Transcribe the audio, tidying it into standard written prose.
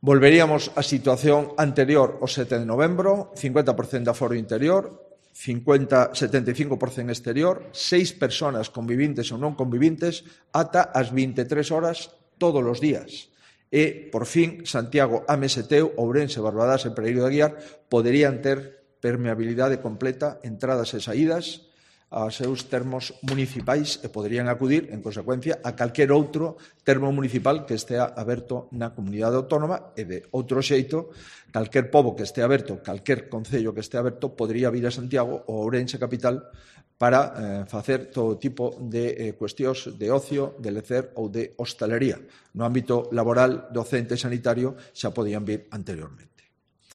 Volveríamos á situación anterior ao 7 de novembro, 50% de aforo interior, 75% exterior, 6 persoas convivintes ou non convivintes ata as 23 horas todos os días. E, por fin, Santiago, Ameseteu, Ourense, Barbadás e Pereiro de Aguiar poderían ter permeabilidade completa, entradas e saídas aos seus termos municipais e poderían acudir, en consecuencia, a calquer outro termo municipal que estea aberto na comunidade autónoma e, de outro xeito, calquer pobo que estea aberto, calquer concello que estea aberto, podería vir a Santiago ou Ourense capital para facer todo tipo de cuestións de ocio, de lecer ou de hostalería. No ámbito laboral, docente e sanitario xa podían vir anteriormente.